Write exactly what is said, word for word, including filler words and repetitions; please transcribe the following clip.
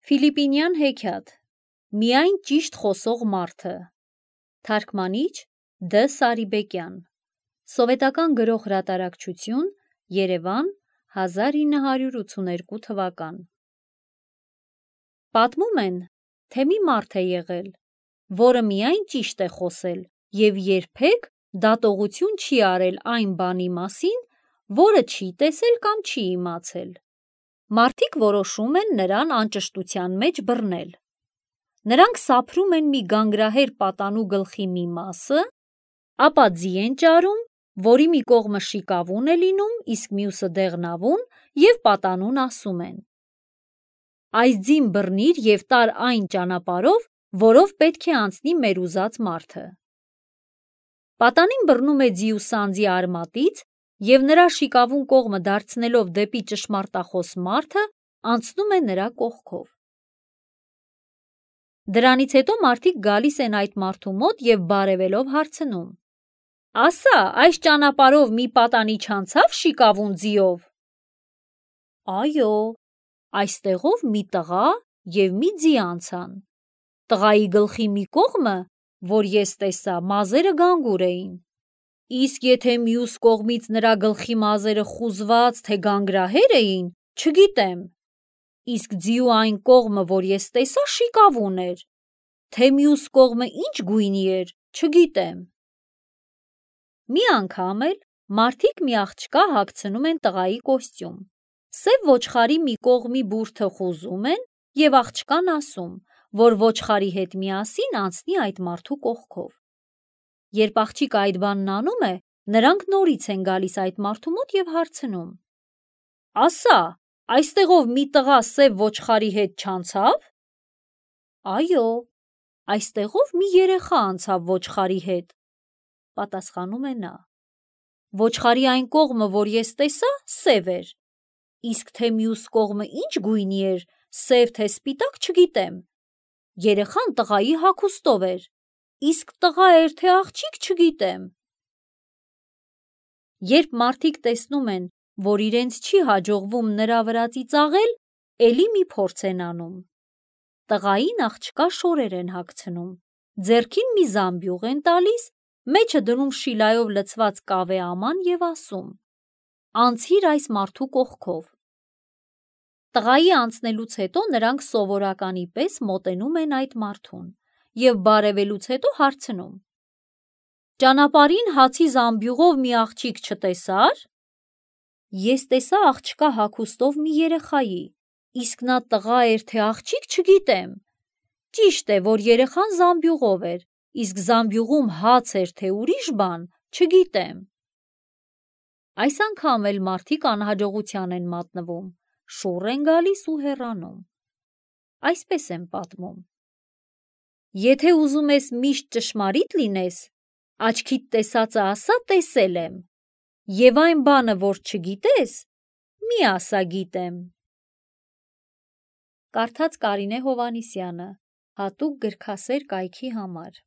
Ֆիլիպինյան հեքիաթ Միայն ճիշտ խոսող մարդը Թարգմանիչ Դ. Սարիբեկյան Սովետական գրող հրատարակչություն Երևան հազար ինը հարյուր ութսուներկու թվական Պատմում են, թե մի մարդ է եղել, որը միայն ճիշտ է խոսել և երբեք դատողություն չի արել այն բանի մասին, որը չի տեսել կամ չի իմացել։ Մարդիկ որոշում են նրան անճշտության մեջ բռնել։ Նրանք սափրում են մի գանգրահեր պատանու գլխի մի մասը, ապա ձի են ճարում, որի մի կողմը շիկավուն է լինում, իսկ մյուսը դեղնավուն, և պատանուն ասում են. «Այս ձին բռնիր և տար այն ճանապարհով, որով պետք է անցնի մեր ուզած մարդը»։ Պատանին բռնում է ձիու սանձի արմատից և նրա շիկավուն կողմը դարձնելով դեպի ճշմարտախոս մարդը, անցնում է նրա կողքով։ Դրանից հետո մարդիկ գալիս են այդ մարդու մոտ և բարևելով հարցնում. «Ասա, այս ճանապարհով մի պատանի չանցա՞վ շիկավուն ձիով»։ «Այո, այստեղով մի տղա և մի ձի անցան։ Տղայի գլխի մի կողմը, որ ես տեսա, մազերը գանգուր էին, իսկ եթե մյուս կողմից նրա գլխի մազերը խուզված, թե գանգրահեր էին, չգիտեմ, իսկ ձիու այն կողմը, որ ես տեսա, շիկավուն էր, թե մյուս կողմը ինչ գույնի էր, չգիտեմ»։ Մի անգամ էլ մարդիկ մի աղջկա հագցնում են տղայի կոստյում, սև ոչխարի մի կողմի բուրդը խուզում են և աղջկան ասում, որ ոչխարի հետ միասին անցնի այդ մարդու կողքով։ Երբ աղջիկը այդ բանն անում է, նրանք նորից են գալիս այդ մարդու մոտ և հարցնում. «Ասա, այստեղով մի տղա սև ոչխարի հետ չանցա՞վ»։ «Այո, այստեղով մի երեխա անցավ ոչխարի հետ», պատասխանում է նա։ «Ոչխարի այն կողմը, որ ես տեսա, սև էր, իսկ թե մյուս կողմը ինչ գույնի էր, սև թե սպիտակ, չգիտեմ։ Երեխան տղայի հագուստով էր, իսկ տղա էր, թե աղջիկ, չգիտեմ»։ Երբ մարդիկ տեսնում են, որ իրենց չի հաջողվում նրա վրա ծիծաղել, էլի մի փորձ են անում։ Տղային աղջկա շորեր են հագցնում, ձեռքին մի զամբյուղ են տալիս, մեջը դնում շիլայով լցված կավե աման և ասում. «Անցիր այս մարդու կողքով»։ Տղայի անցնելուց հետո նրանք սովորականի պես մոտենում են այդ մարդուն և բարևելուց հետո հարցնում. «Ճանապարհին հացի զամբյուղով մի աղջիկ չտեսա՞ր»։ «Ես տեսա աղջկա հագուստով մի երեխայի, իսկ նա տղա էր, թե աղջիկ, չգիտեմ։ Ճիշտ է, որ երեխան զամբյուղով էր, իսկ զամբյուղում հաց էր, թե ուրիշ բան, չգիտեմ»։ Այս անգամ էլ մարդիկ անհաջողության են մատնվում, շուռ են գալիս ու հեռանում։ Այսպես են պատմում. «Եթե ուզում ես միշտ ճշմարիտ լինես, աչքիդ տեսածը ասա՝ տեսել եմ, և այն բանը, որ չգիտես, մի ասա՝ գիտեմ»։ Կարդաց Կարինե Հովհաննիսյանը, հատուկ գրքասեր կայքի համար։